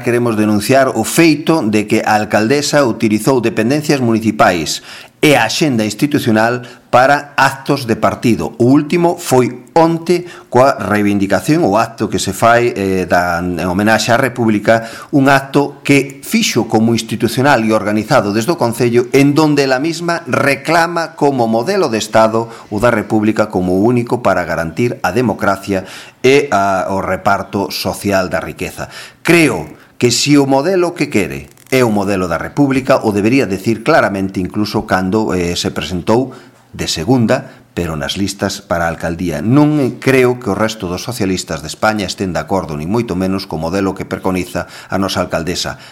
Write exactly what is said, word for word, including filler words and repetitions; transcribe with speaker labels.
Speaker 1: queremos denunciar o feito de que a alcaldesa utilizou dependencias municipais e a axenda institucional para actos de partido. O último foi onte coa reivindicación, o acto que se fai eh, da, en homenaxe á República, un acto que fixo como institucional e organizado desde o Concello, en donde ela mesma reclama como modelo de Estado o da República como único para garantir a democracia e a, o reparto social da riqueza. Creo que se o modelo que quere é o modelo da República, o debería decir claramente incluso cando eh, se presentou de segunda, pero nas listas para a alcaldía. Non creo que o resto dos socialistas de España estén de acordo, ni moito menos co modelo que preconiza a nosa alcaldesa,